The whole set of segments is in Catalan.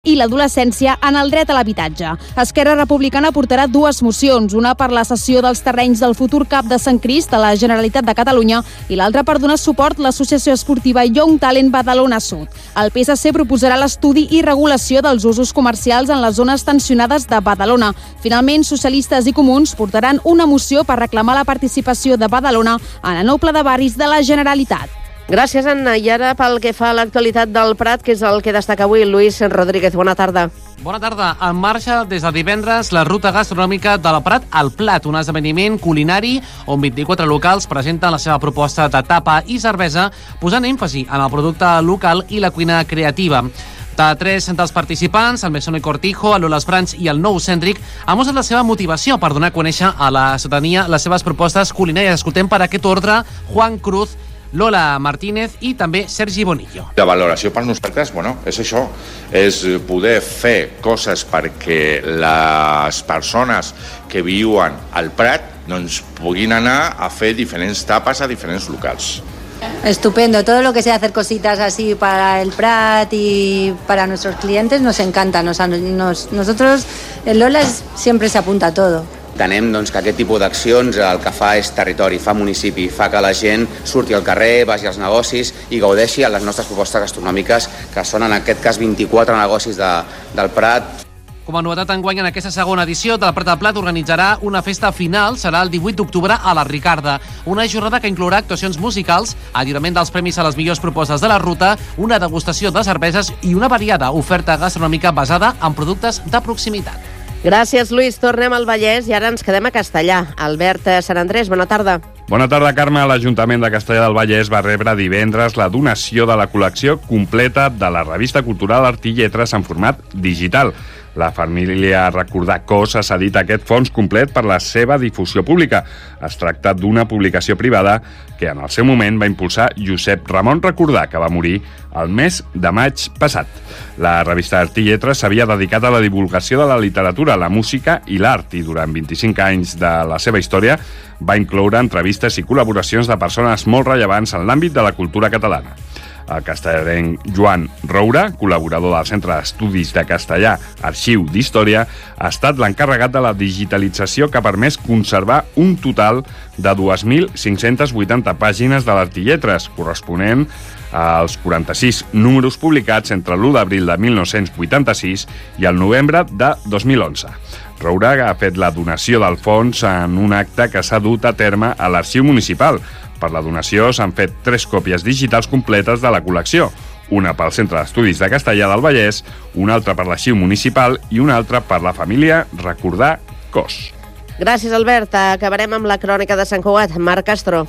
i l'adolescència en el dret a l'habitatge. Esquerra Republicana portarà dues mocions, una per la cessió dels terrenys del futur CAP de Sant Crist a la Generalitat de Catalunya i l'altra per donar suport a l'associació esportiva Young Talent Badalona Sud. El PSC proposarà l'estudi i regulació dels usos comercials en les zones tensionades de Badalona. Finalment, socialistes i comuns portaran una moció per reclamar la participació de Badalona en el nou pla de barris de la Generalitat. Gràcies, Anna. I ara pel que fa a l'actualitat del Prat, que és el que destaca avui Lluís Rodríguez. Bona tarda. Bona tarda. En marxa des de divendres la ruta gastronòmica de la Prat al Plat, un esdeveniment culinari on 24 locals presenten la seva proposta de tapa i cervesa, posant èmfasi en el producte local i la cuina creativa. De tres dels participants, el Mesón i Cortijo, el Lolas Branch i el Nou Cèntric, han mostrat la seva motivació per donar a conèixer a la ciutadania les seves propostes culinàries. Escoltem per aquest ordre Juan Cruz, Lola Martínez i també Sergi Bonillo. La valoració per nosaltres, és això, és poder fer coses perquè les persones que viuen al Prat puguin anar a fer diferents tapes a diferents locals. Estupendo, todo lo que sea hacer cositas así para el Prat y para nuestros clientes nos encanta. Nosotros, el Lola siempre se apunta a todo. Entenem que aquest tipus d'accions el que fa és territori, fa municipi, fa que la gent surti al carrer, vagi als negocis i gaudeixi a les nostres propostes gastronòmiques, que són en aquest cas 24 negocis del Prat. Com a novetat enguany, en aquesta segona edició del Prat al Plat organitzarà una festa final, serà el 18 d'octubre a la Ricarda. Una jornada que inclourà actuacions musicals, el lliurament dels premis a les millors propostes de la ruta, una degustació de cerveses i una variada oferta gastronòmica basada en productes de proximitat. Gràcies, Lluís. Tornem al Vallès i ara ens quedem a Castellà. Albert Sant Andrés, bona tarda. Bona tarda, Carme. L'Ajuntament de Castellà del Vallès va rebre divendres la donació de la col·lecció completa de la revista cultural Art i Lletres en format digital. La família Recordar Cos ha cedit aquest fons complet per la seva difusió pública. Es tracta d'una publicació privada que en el seu moment va impulsar Josep Ramon Recordar, que va morir el mes de maig passat. La revista Art i Lletres s'havia dedicat a la divulgació de la literatura, la música i l'art, i durant 25 anys de la seva història va incloure entrevistes i col·laboracions de persones molt rellevants en l'àmbit de la cultura catalana. El castellanenc Joan Roura, col·laborador del Centre d'Estudis de Castellà, Arxiu d'Història, ha estat l'encarregat de la digitalització que ha permès conservar un total de 2.580 pàgines de l'Art i Lletres, corresponent als 46 números publicats entre l'1 d'abril de 1986 i el novembre de 2011. Roura ha fet la donació del fons en un acte que s'ha dut a terme a l'Arxiu Municipal. Per la donació s'han fet 3 còpies digitals completes de la col·lecció, una pel Centre d'Estudis de Castellà del Vallès, una altra per l'Arxiu Municipal i una altra per la família Recordar Cos. Gràcies, Albert. Acabarem amb la crònica de Sant Cugat. Marc Castro.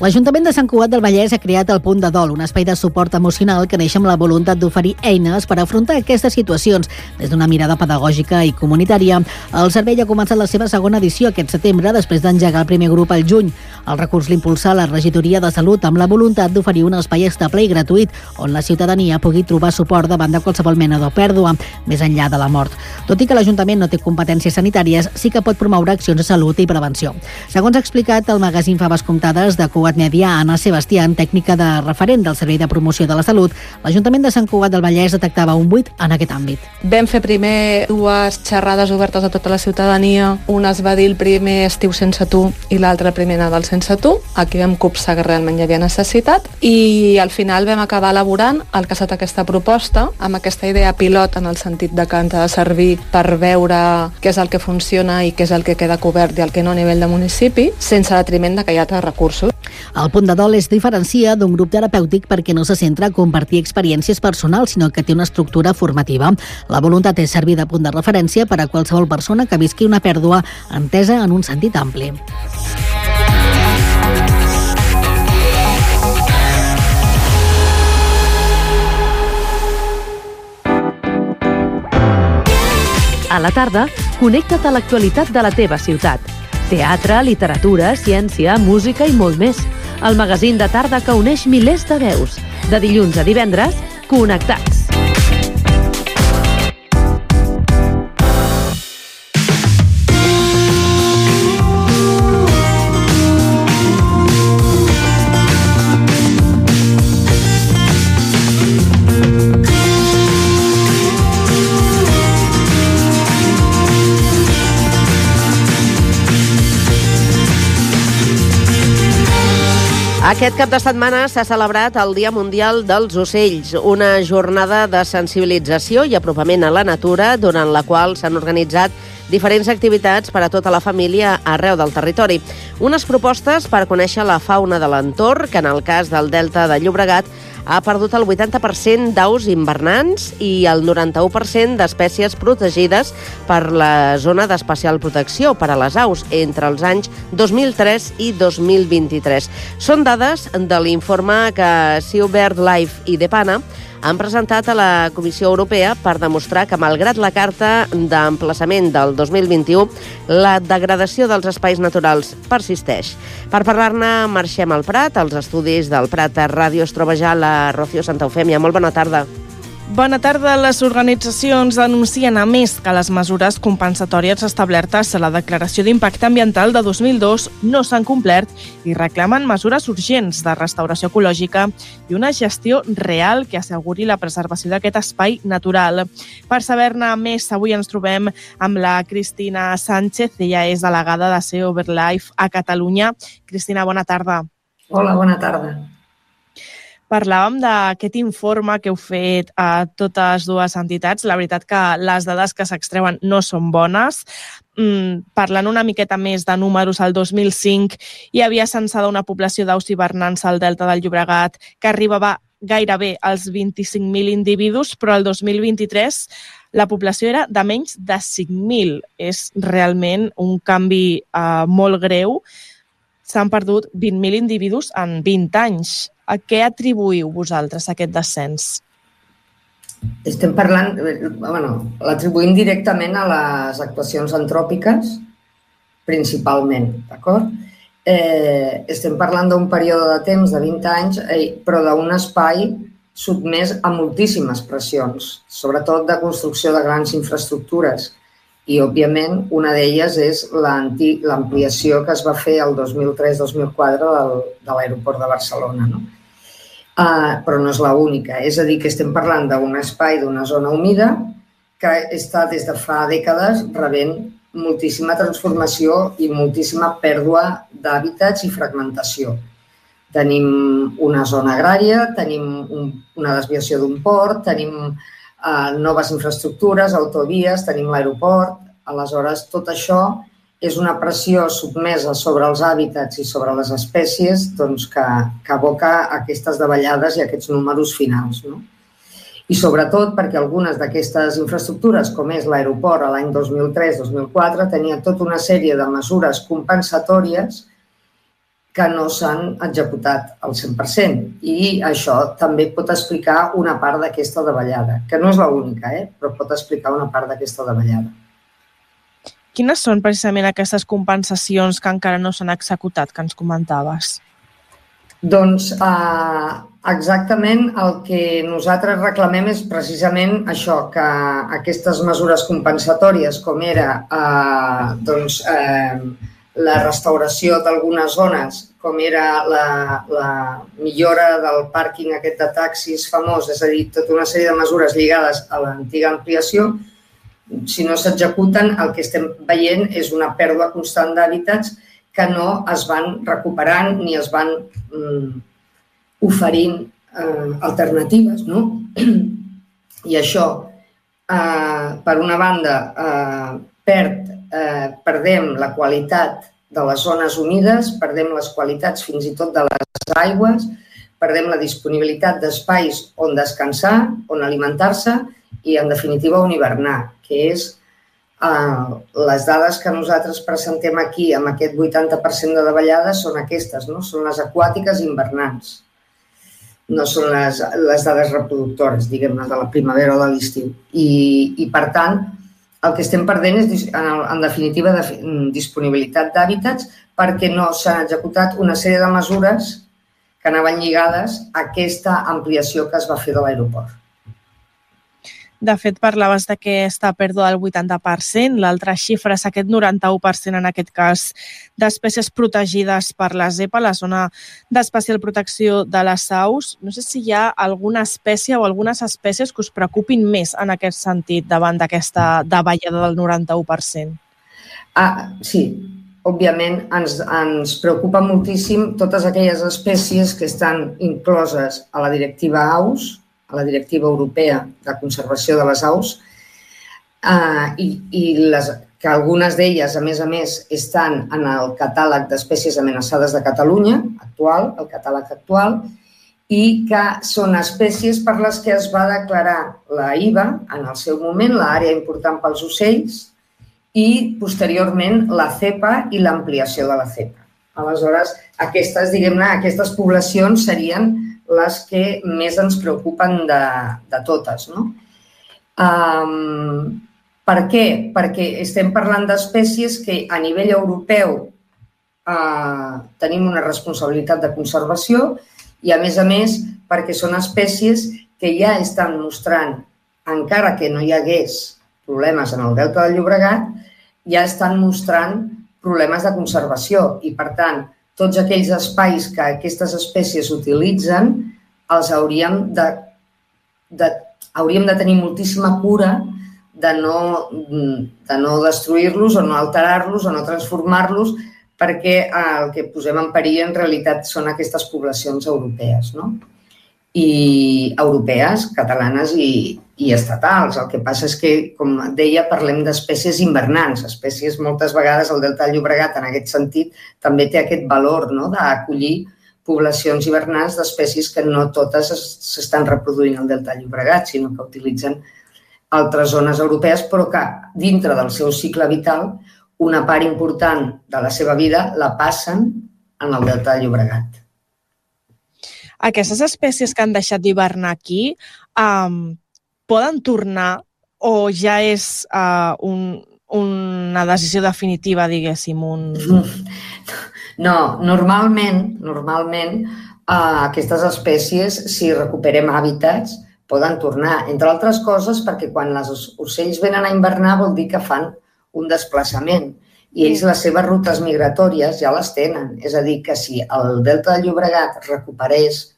L'Ajuntament de Sant Cugat del Vallès ha creat el Punt de Dol, un espai de suport emocional que neix amb la voluntat d'oferir eines per afrontar aquestes situacions des d'una mirada pedagògica i comunitària. El servei ha començat la seva segona edició aquest setembre, després d'engegar el primer grup al juny. El recurs l'impulsa la Regidoria de Salut amb la voluntat d'oferir un espai estable i gratuït on la ciutadania pugui trobar suport davant de qualsevol mena de pèrdua, més enllà de la mort. Tot i que l'Ajuntament no té competències sanitàries, sí que pot promoure accions de salut i prevenció. Segons ha explicat el magazín Faves Comptades de Cugat Mèdia, Anna Sebastián, tècnica de referent del Servei de Promoció de la Salut, l'Ajuntament de Sant Cugat del Vallès detectava un buit en aquest àmbit. Vam fer primer 2 xerrades obertes a tota la ciutadania. Una es va dir el primer estiu sense tu i l'altre primer Nadal sense tu. Aquí vam copsar que realment hi havia necessitat i al final vam acabar elaborant el que ha estat aquesta proposta amb aquesta idea pilot en el sentit de que ens ha de servir per veure què és el que funciona i què és el que queda cobert i el que no a nivell de municipi, sense detriment de que hi ha altres recursos. El Punt de Dol es diferencia d'un grup terapèutic perquè no se centra a compartir experiències personals, sinó que té una estructura formativa. La voluntat és servir de punt de referència per a qualsevol persona que visqui una pèrdua entesa en un sentit ampli. A la tarda, connecta't a l'actualitat de la teva ciutat. Teatre, literatura, ciència, música i molt més. El magazín de tarda que uneix milers de veus. De dilluns a divendres, Connectats. Aquest cap de setmana s'ha celebrat el Dia Mundial dels Ocells, una jornada de sensibilització i apropament a la natura, durant la qual s'han organitzat diferents activitats per a tota la família arreu del territori. Unes propostes per conèixer la fauna de l'entorn, que en el cas del Delta de Llobregat ha perdut el 80% d'aus invernants i el 91% d'espècies protegides per la zona d'especial protecció per a les aus entre els anys 2003 i 2023. Són dades de l'informe que Sea BirdLife i Depana han presentat a la Comissió Europea per demostrar que, malgrat la carta d'emplaçament del 2021, la degradació dels espais naturals persisteix. Per parlar-ne, marxem al Prat. Als estudis del Prat a Ràdio es troba ja la Rocío Santa Eufèmia. Molt bona tarda. Bona tarda. Les organitzacions denuncien, a més, que les mesures compensatòries establertes a la Declaració d'Impacte Ambiental de 2002 no s'han complert i reclamen mesures urgents de restauració ecològica i una gestió real que asseguri la preservació d'aquest espai natural. Per saber-ne més, avui ens trobem amb la Cristina Sánchez. Ella és delegada de Sea BirdLife a Catalunya. Cristina, bona tarda. Hola, bona tarda. Parlàvem d'aquest informe que heu fet a totes dues entitats. La veritat que les dades que s'extreuen no són bones. Parlant una miqueta més de números, el 2005 hi havia censada una població d'aus hivernants al Delta del Llobregat que arribava gairebé als 25.000 individus, però el 2023 la població era de menys de 5.000. És realment un canvi molt greu. S'han perdut 20.000 individus en 20 anys. A què atribuïu vosaltres aquest descens? Estem parlant, l'atribuïm directament a les actuacions antròpiques, principalment, d'acord? Estem parlant d'un període de temps de 20 anys, però d'un espai sotmès a moltíssimes pressions, sobretot de construcció de grans infraestructures. I, òbviament, una d'elles és l'ampliació que es va fer el 2003-2004 de l'aeroport de Barcelona, no? Però no és l'única. És a dir, que estem parlant d'un espai, d'una zona humida que està des de fa dècades rebent moltíssima transformació i moltíssima pèrdua d'hàbitats i fragmentació. Tenim una zona agrària, tenim una desviació d'un port, tenim noves infraestructures, autovies, tenim l'aeroport. Aleshores, tot això és una pressió sotmesa sobre els hàbitats i sobre les espècies que aboca aquestes davallades i aquests números finals. I sobretot perquè algunes d'aquestes infraestructures, com és l'aeroport a l'any 2003-2004, tenia tota una sèrie de mesures compensatòries que no s'han executat al 100%. I això també pot explicar una part d'aquesta davallada, que no és l'única, però pot explicar una part d'aquesta davallada. Quines són precisament aquestes compensacions que encara no s'han executat, que ens comentaves? Doncs exactament el que nosaltres reclamem és precisament això, que aquestes mesures compensatòries, com era la restauració d'algunes zones, com era la millora del pàrquing aquest de taxis famós, és a dir, tota una sèrie de mesures lligades a l'antiga ampliació, si no s'executen, el que estem veient és una pèrdua constant d'hàbitats que no es van recuperant ni es van oferint alternatives. I això, per una banda, perdem la qualitat de les zones humides, perdem les qualitats fins i tot de les aigües, perdem la disponibilitat d'espais on descansar, on alimentar-se i, en definitiva, on hivernar, que és les dades que nosaltres presentem aquí amb aquest 80% de davallades són aquestes, són les aquàtiques invernants. No són les dades reproductores, diguem-ne, de la primavera o de l'estiu. I, per tant, el que estem perdent és, en definitiva, disponibilitat d'hàbitats perquè no s'han executat una sèrie de mesures que anaven lligades a aquesta ampliació que es va fer de l'aeroport. De fet, parlaves d'aquesta pèrdua del 80%, l'altra xifra és aquest 91% en aquest cas d'espècies protegides per la ZEPA, la zona d'especial protecció de les aus. No sé si hi ha alguna espècie o algunes espècies que us preocupin més en aquest sentit davant d'aquesta davallada del 91%. Sí, òbviament, ens preocupa moltíssim totes aquelles espècies que estan incloses a la directiva AUS, a la directiva europea de conservació de les aus, que algunes d'elles, a més, estan en el catàleg d'espècies amenaçades de Catalunya, actual, el catàleg actual, i que són espècies per les que es va declarar la IVA, en el seu moment, l'àrea important pels ocells, i posteriorment la CEPA i l'ampliació de la CEPA. Aleshores, aquestes poblacions serien les que més ens preocupen de totes, no? Per què? Perquè estem parlant d'espècies que a nivell europeu tenim una responsabilitat de conservació i, a més, perquè són espècies que ja estan mostrant, encara que no hi hagués problemes en el Delta del Llobregat, ja estan mostrant problemes de conservació i, per tant, tots aquells espais que aquestes espècies utilitzen els hauríem de tenir moltíssima cura de no destruir-los o no alterar-los o no transformar-los, perquè el que posem en perill en realitat són aquestes poblacions europees, no? I europees, catalanes i estatals. El que passa és que, com deia, parlem d'espècies invernants. Espècies, moltes vegades, el Delta del Llobregat, en aquest sentit, també té aquest valor d'acollir poblacions hivernants d'espècies que no totes s'estan reproduint al Delta del Llobregat, sinó que utilitzen altres zones europees, però que dintre del seu cicle vital una part important de la seva vida la passen en el Delta del Llobregat. Aquestes espècies que han deixat d'hivernar aquí poden tornar o ja és una decisió definitiva, diguéssim? No, normalment aquestes espècies, si recuperem hàbitats, poden tornar, entre altres coses, perquè quan els ocells venen a hivernar vol dir que fan un desplaçament i ells les seves rutes migratòries ja les tenen. És a dir, que si el Delta del Llobregat recuperés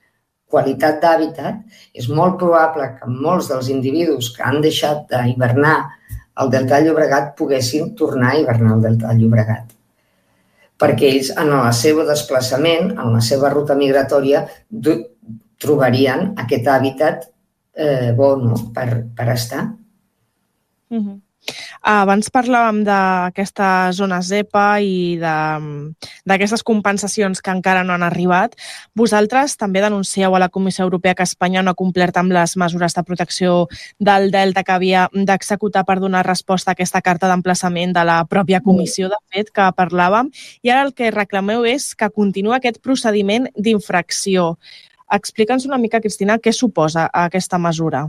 qualitat d'hàbitat, és molt probable que molts dels individus que han deixat d'hivernar al Delta del Llobregat poguessin tornar a hivernar al Delta del Llobregat. Perquè ells, en el seu desplaçament, en la seva ruta migratòria, trobarien aquest hàbitat bo per estar. Abans parlàvem d'aquesta zona ZEPA i d'aquestes compensacions que encara no han arribat. Vosaltres també denuncieu a la Comissió Europea que Espanya no ha complert amb les mesures de protecció del Delta que havia d'executar per donar resposta a aquesta carta d'emplaçament de la pròpia comissió, de fet, que parlàvem. I ara el que reclameu és que continua aquest procediment d'infracció. Explica'ns una mica, Cristina, què suposa aquesta mesura.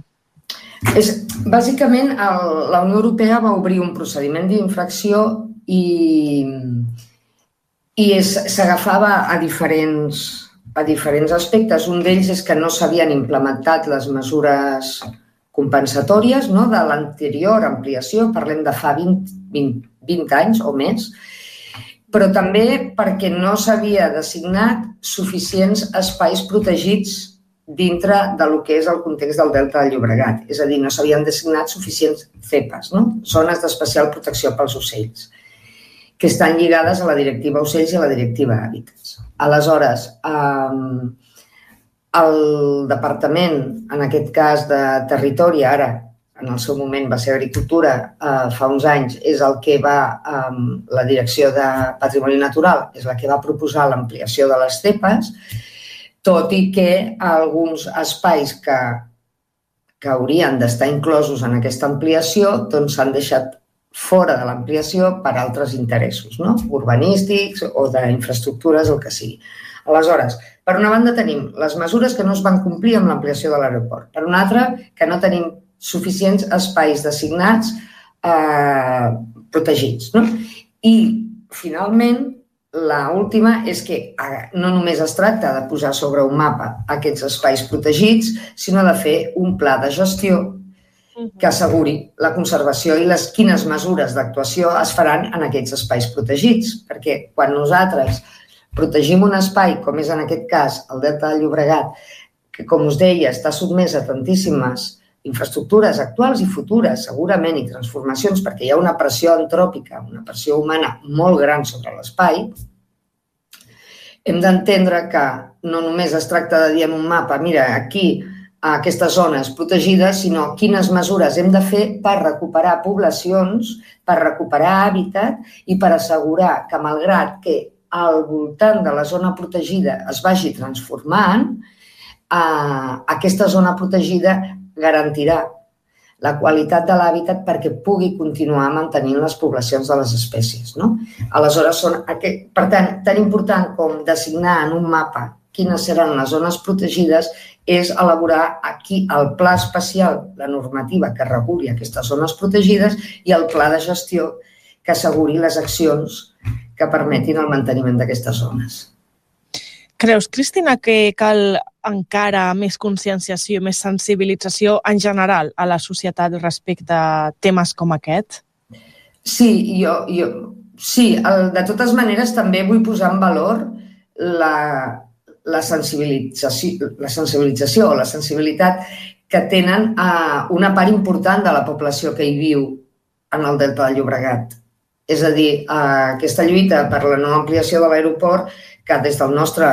Bàsicament, la Unió Europea va obrir un procediment d'infracció i s'agafava a diferents aspectes. Un d'ells és que no s'havien implementat les mesures compensatòries de l'anterior ampliació, parlem de fa 20 anys o més, però també perquè no s'havia designat suficients espais protegits dintre del que és el context del Delta del Llobregat. És a dir, no s'havien designat suficients CEPAs, zones d'especial protecció pels ocells, que estan lligades a la directiva ocells i a la directiva hàbitats. Aleshores, el Departament, en aquest cas de Territori, ara, en el seu moment va ser Agricultura, fa uns anys, és el que la Direcció de Patrimoni Natural, és la que va proposar l'ampliació de les CEPAs, tot i que alguns espais que haurien d'estar inclosos en aquesta ampliació s'han deixat fora de l'ampliació per altres interessos, urbanístics o d'infraestructures, el que sigui. Aleshores, per una banda tenim les mesures que no es van complir amb l'ampliació de l'aeroport. Per una altra, que no tenim suficients espais designats protegits. I, finalment, l'última és que no només es tracta de posar sobre un mapa aquests espais protegits, sinó de fer un pla de gestió que asseguri la conservació i quines mesures d'actuació es faran en aquests espais protegits. Perquè quan nosaltres protegim un espai, com és en aquest cas el Delta del Llobregat, que, com us deia, està sotmès a tantíssimes infraestructures actuals i futures, segurament, i transformacions, perquè hi ha una pressió antròpica, una pressió humana molt gran sobre l'espai, hem d'entendre que no només es tracta de dir en un mapa, mira, aquí, a aquestes zones protegides, sinó quines mesures hem de fer per recuperar poblacions, per recuperar hàbitat i per assegurar que, malgrat que al voltant de la zona protegida es vagi transformant, aquesta zona protegida garantirà la qualitat de l'hàbitat perquè pugui continuar mantenint les poblacions de les espècies. Aleshores, per tant, tan important com designar en un mapa quines seran les zones protegides és elaborar aquí el pla especial, la normativa que reguli aquestes zones protegides i el pla de gestió que asseguri les accions que permetin el manteniment d'aquestes zones. Creus, Cristina, que cal encara més conscienciació, més sensibilització en general a la societat respecte a temes com aquest? Sí, sí. De totes maneres, també vull posar en valor la sensibilització o la sensibilitat que tenen una part important de la població que hi viu en el Delta del Llobregat. És a dir, aquesta lluita per la no ampliació de l'aeroport, que des del nostre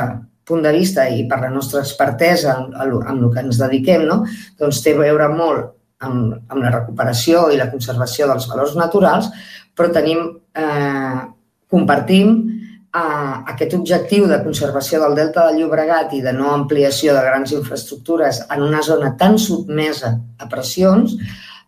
punt de vista i per la nostra expertesa en el que ens dediquem, doncs té a veure molt amb la recuperació i la conservació dels valors naturals, però compartim aquest objectiu de conservació del Delta del Llobregat i de no ampliació de grans infraestructures en una zona tan sotmesa a pressions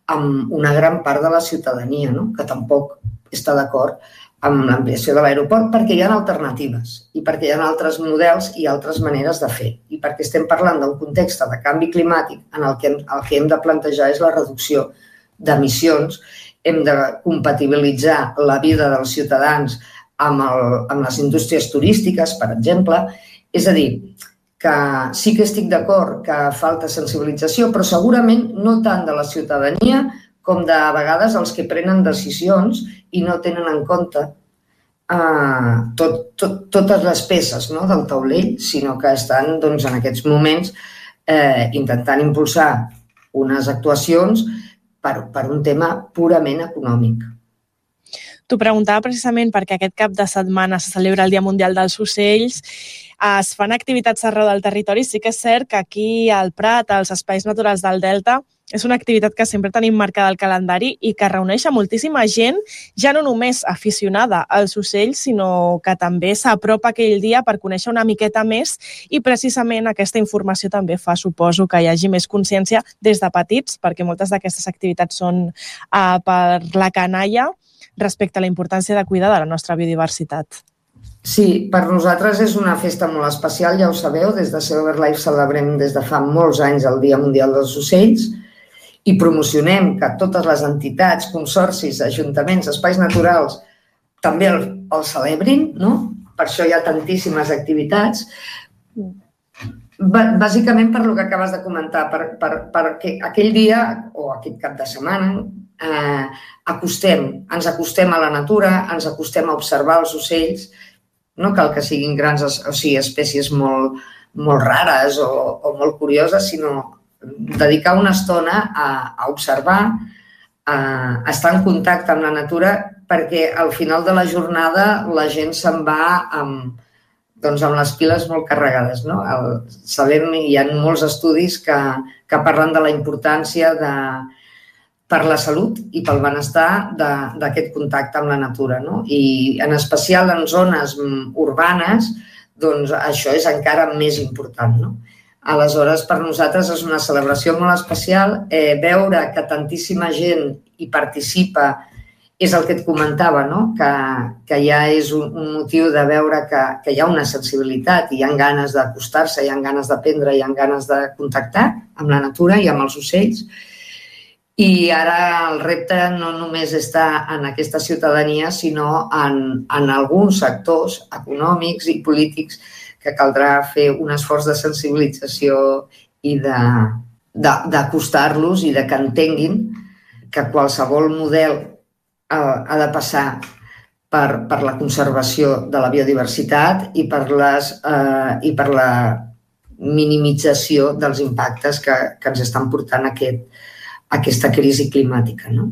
amb una gran part de la ciutadania, que tampoc està d'acord amb l'ampliació de l'aeroport perquè hi ha alternatives i perquè hi ha altres models i altres maneres de fer i perquè estem parlant d'un context de canvi climàtic en el que hem de plantejar és la reducció d'emissions, hem de compatibilitzar la vida dels ciutadans amb les indústries turístiques, per exemple. És a dir, que sí que estic d'acord que falta sensibilització, però segurament no tant de la ciutadania com de vegades els que prenen decisions i no tenen en compte totes les peces del taulell, sinó que estan en aquests moments intentant impulsar unes actuacions per un tema purament econòmic. T'ho preguntava precisament perquè aquest cap de setmana se celebra el Dia Mundial dels Ocells, es fan activitats arreu del territori. Sí que és cert que aquí al Prat, als espais naturals del Delta, és una activitat que sempre tenim marcada al calendari i que reuneix a moltíssima gent, ja no només aficionada als ocells, sinó que també s'apropa aquell dia per conèixer una miqueta més i precisament aquesta informació també fa, suposo, que hi hagi més consciència des de petits, perquè moltes d'aquestes activitats són per la canalla respecte a la importància de cuidar de la nostra biodiversitat. Sí, per nosaltres és una festa molt especial, ja ho sabeu, des de Silverlife celebrem des de fa molts anys el Dia Mundial dels Ocells i promocionem que totes les entitats, consorcis, ajuntaments, espais naturals també el celebrin, per això hi ha tantíssimes activitats. Bàsicament per el que acabes de comentar, perquè aquell dia o aquest cap de setmana ens acostem a la natura, ens acostem a observar els ocells, no cal que siguin grans, o sigui, espècies molt rares o molt curioses, sinó dedicar una estona a observar, a estar en contacte amb la natura, perquè al final de la jornada la gent se'n va amb les piles molt carregades. Sabem, hi ha molts estudis que parlen de la importància per la salut i pel benestar d'aquest contacte amb la natura. I en especial en zones urbanes, doncs això és encara més important. Aleshores, per nosaltres és una celebració molt especial. Veure que tantíssima gent hi participa és el que et comentava, que ja és un motiu de veure que hi ha una sensibilitat i hi ha ganes d'acostar-se, hi ha ganes d'aprendre, hi ha ganes de contactar amb la natura i amb els ocells. I ara el repte no només està en aquesta ciutadania, sinó en alguns sectors econòmics i polítics que caldrà fer un esforç de sensibilització i d'acostar-los i que entenguin que qualsevol model ha de passar per la conservació de la biodiversitat i per la minimització dels impactes que ens estan portant aquest aquesta crisi climàtica, no?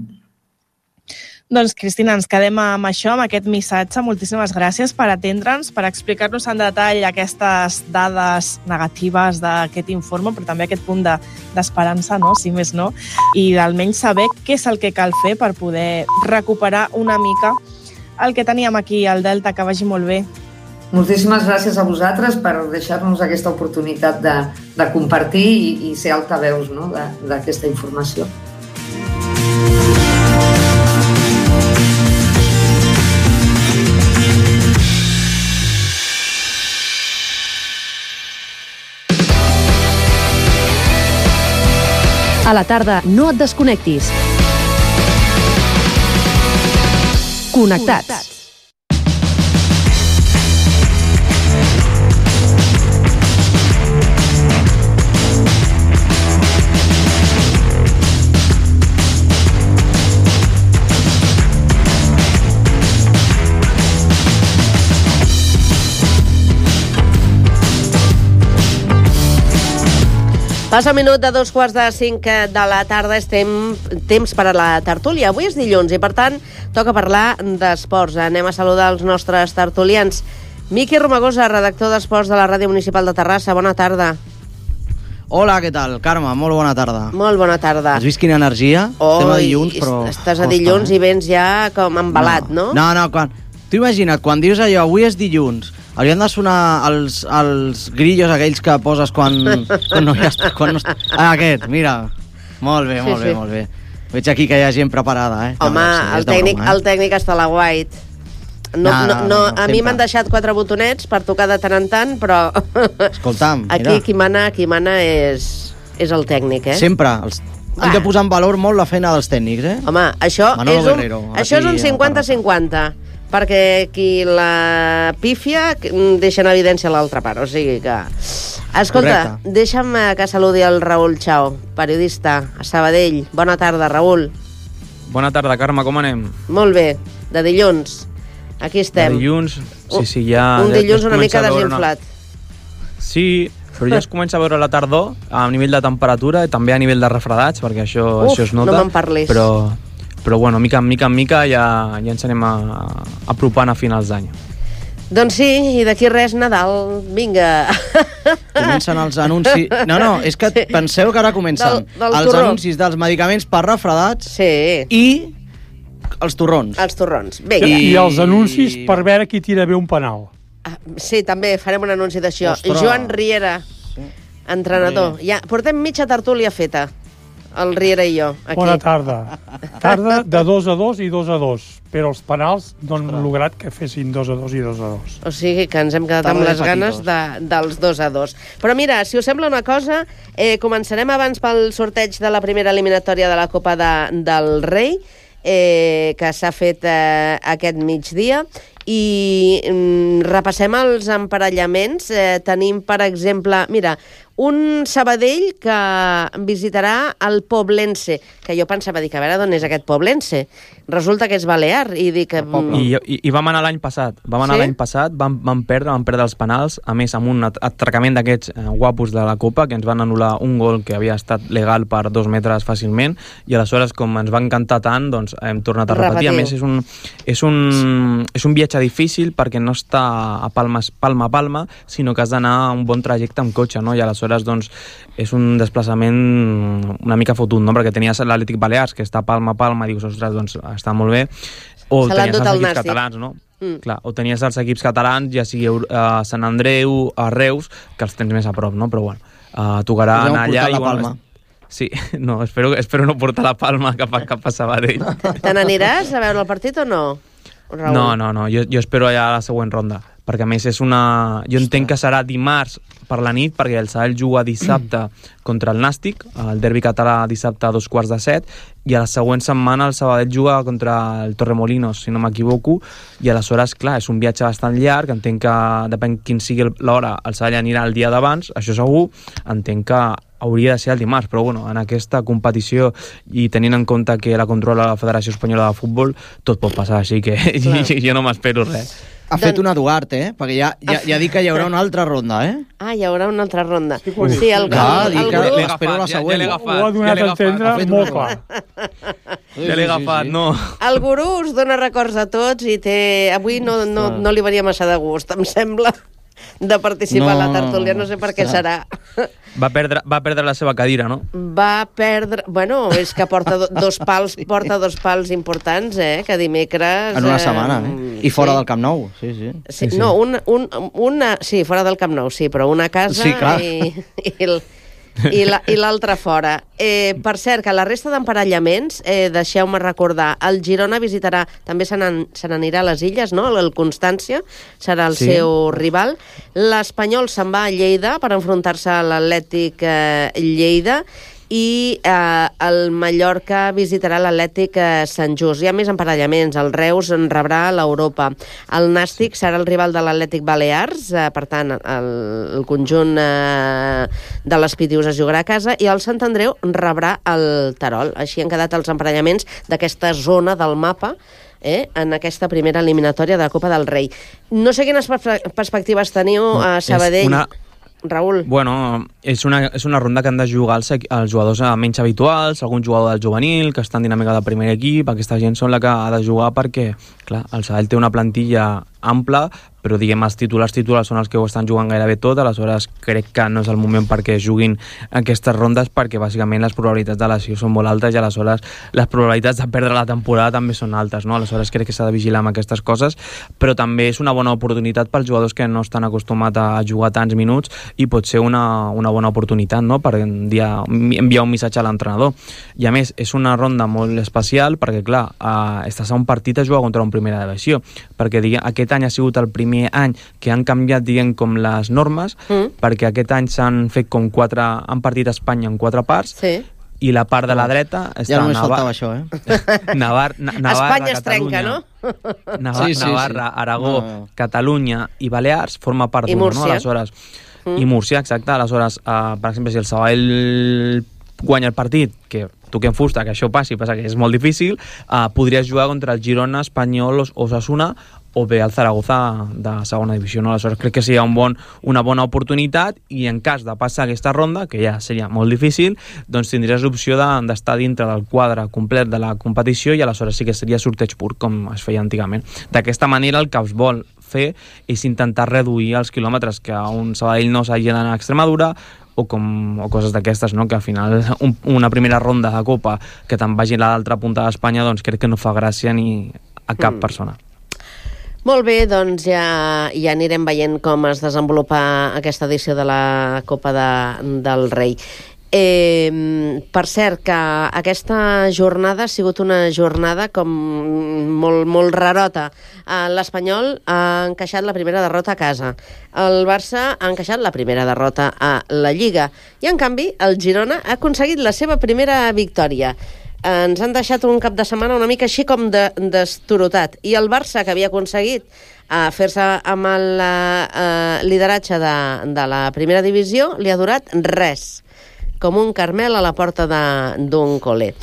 Doncs, Cristina, ens quedem amb això, amb aquest missatge. Moltíssimes gràcies per atendre'ns, per explicar-nos en detall aquestes dades negatives d'aquest informe, però també aquest punt d'esperança, no? Si més no, i almenys saber què és el que cal fer per poder recuperar una mica el que teníem aquí al Delta. Que vagi molt bé. Moltíssimes gràcies a vosaltres per deixar-nos aquesta oportunitat de compartir i ser altaveus, no? d'aquesta informació. A la tarda, no et desconnectis. Connectats. Passa un minut de 4:45 de la tarda, és temps per a la tertúlia. Avui és dilluns i, per tant, toca parlar d'esports. Anem a saludar els nostres tertulians. Miqui Romagosa, redactor d'Esports de la Ràdio Municipal de Terrassa. Bona tarda. Hola, què tal? Carme, molt bona tarda. Molt bona tarda. Has vist quina energia? Estem a dilluns, però... Estàs a dilluns i vens ja com embalat, no? No, t'ho imagina't, quan dius allò, avui és dilluns, haurien de sonar els grillos aquells que poses quan no hi està... Aquest, mira. Molt bé, molt bé. Veig aquí que hi ha gent preparada, Home, el tècnic està a la White. A mi m'han deixat 4 botonets per tocar de tant en tant, però... Escolta'm, mira. Aquí qui mana és el tècnic, Sempre. Han de posar en valor molt la feina dels tècnics, Home, això és un 50-50. Perquè qui la pífia deixa en evidència l'altra part, o sigui que... Escolta, deixa'm que saludi el Raül Chao, periodista a Sabadell. Bona tarda, Raül. Bona tarda, Carme, com anem? Molt bé, de dilluns. Aquí estem. De dilluns, sí, ja... Un dilluns una mica desinflat. Sí, però ja es comença a veure la tardor a nivell de temperatura i també a nivell de refredats, perquè això es nota. No me'n parlis. Però bueno, mica en mica ja ens anem apropant a finals d'any. Doncs sí, i d'aquí res, Nadal, vinga. Comencen els anuncis... No, és que penseu que ara comencen els anuncis dels medicaments per refredats i els torrons. Els torrons, vinga. I els anuncis per veure qui tira bé un penal. Sí, també farem un anunci d'això. Joan Riera, entrenador. Ja portem mitja tertúlia feta. El Riera i jo, aquí. Bona tarda. Tarda de 2-2 i 2-2, però els penals no han lograt que fessin 2-2 i 2-2. O sigui que ens hem quedat amb les ganes dels 2-2. Però mira, si us sembla una cosa, començarem abans pel sorteig de la primera eliminatòria de la Copa del Rei, que s'ha fet aquest migdia, i repassem els emparellaments. Tenim, per exemple, mira, un Sabadell que visitarà el Poblense, que jo pensava dir que a veure d'on és aquest Poblense. Resulta que és balear i dic que... I vam anar l'any passat. Vam perdre els penals, a més amb un atracament d'aquests guapos de la Copa, que ens van anul·lar un gol que havia estat legal per 2 metres fàcilment, i aleshores, com ens va encantar tant, doncs hem tornat a repetir. A més, és un viatge difícil perquè no està a palma a palma, sinó que has d'anar un bon trajecte amb cotxe, no? I aleshores doncs, és un desplaçament una mica fotut, no? Perquè tenies l'Atlètic Balears, que està palma a palma, i dius, ostres, doncs està molt bé, o tenies els equips catalans, no? Clar, o tenies els equips catalans, ja sigui a Sant Andreu, a Reus, que els tens més a prop, no? Però bueno, tocarà anar allà i... Bueno, sí, no, espero no portar la palma cap a Sabadell. Te n'aniràs a veure el partit o no, Raül? No, jo espero allà a la següent ronda, perquè a més és una... Jo entenc que serà dimarts per la nit, perquè el Sabadell juga dissabte contra el Nàstic, el derbi català dissabte a 2:15, i a la següent setmana el Sabadell juga contra el Torremolinos, si no m'equivoco, i aleshores, clar, és un viatge bastant llarg, entenc que depèn quin sigui l'hora, el Sabadell anirà el dia d'abans, això segur, entenc que hauria de ser el dimarts, però bueno, en aquesta competició i tenint en compte que la controla la Federació Espanyola de Futbol, tot pot passar, així que jo no m'espero res. Ha fet una Duarte, perquè ja dic que hi haurà una altra ronda, Ah, hi haurà una altra ronda. Sí, el gurú... Espero la següent. Ho ha donat a entendre molt clar. Ja l'he agafat, no. El gurú us dona records a tots i avui no li venia massa de gust, em sembla, de participar a la tertúlia. No sé per què serà. Va perdre la seva cadira, no? Va perdre... Bueno, és que porta dos pals importants, que dimecres... En una setmana, I fora del Camp Nou, sí. No, sí, fora del Camp Nou, sí, però una a casa i l'altra fora. Per cert, que la resta d'emparellaments, deixeu-me recordar, el Girona visitarà, també se n'anirà a les Illes, no? El Constància serà el seu rival. L'Espanyol se'n va a Lleida per enfrontar-se a l'Atlètic Lleida i el Mallorca visitarà l'Atlètic Sant Just. Hi ha més emparellaments. El Reus en rebrà l'Europa. El Nàstic serà el rival de l'Atlètic Balears, per tant, el conjunt de les Pitius es jugarà a casa, i el Sant Andreu rebrà el Terol. Així han quedat els emparellaments d'aquesta zona del mapa en aquesta primera eliminatòria de la Copa del Rei. No sé quines perspectives teniu a Sabadell. Raül. Bueno, és una ronda que han de jugar els jugadors menys habituals, algun jugador del juvenil que està en dinàmica de primer equip. Aquesta gent són la que ha de jugar perquè, clar, el Sabadell té una plantilla ampla, però diguem els titulars són els que ho estan jugant gairebé tot, aleshores crec que no és el moment perquè juguin aquestes rondes, perquè bàsicament les probabilitats de lesió són molt altes i aleshores les probabilitats de perdre la temporada també són altes, no? Aleshores crec que s'ha de vigilar amb aquestes coses, però també és una bona oportunitat pels jugadors que no estan acostumats a jugar tants minuts i pot ser una bona oportunitat, no?, per enviar un missatge a l'entrenador. I a més, és una ronda molt especial perquè, clar, estàs a un partit a jugar contra un primera divisió, perquè aquest any ha sigut el primer any que han canviat, diguem, com les normes, perquè aquest any s'han fet com han partit a Espanya en 4 parts, i la part de la dreta està... Ja només faltava això, Navarra, Espanya es trenca, no? Navarra, Aragó, Catalunya i Balears forma part d'una, no? Aleshores, i Múrcia, exacte. Aleshores, per exemple, si el Sabadell guanya el partit, que toquem fusta, que això passi, passa que és molt difícil, podries jugar contra el Girona, Espanyol, Osasuna o bé el Zaragoza de segona divisió, no? Aleshores crec que seria una bona oportunitat, i en cas de passar aquesta ronda, que ja seria molt difícil, doncs tindries l'opció d'estar dintre del quadre complet de la competició, i aleshores sí que seria sorteig pur, com es feia antigament. D'aquesta manera el que es vol fer és intentar reduir els quilòmetres, que un Sabadell no s'hagi d'anar a Extremadura o coses d'aquestes, no? Que al final una primera ronda de Copa que te'n vagi a l'altra punta d'Espanya, doncs crec que no fa gràcia ni a cap persona. Molt bé, doncs ja anirem veient com es desenvolupa aquesta edició de la Copa del Rei. Per cert, que aquesta jornada ha sigut una jornada com molt rarota. L'Espanyol ha encaixat la primera derrota a casa. El Barça ha encaixat la primera derrota a la Lliga. I, en canvi, el Girona ha aconseguit la seva primera victòria. Ens han deixat un cap de setmana una mica així com destorotat. I el Barça, que havia aconseguit fer-se amb el lideratge de la primera divisió, li ha durat res, com un Carmel a la porta d'un col·le.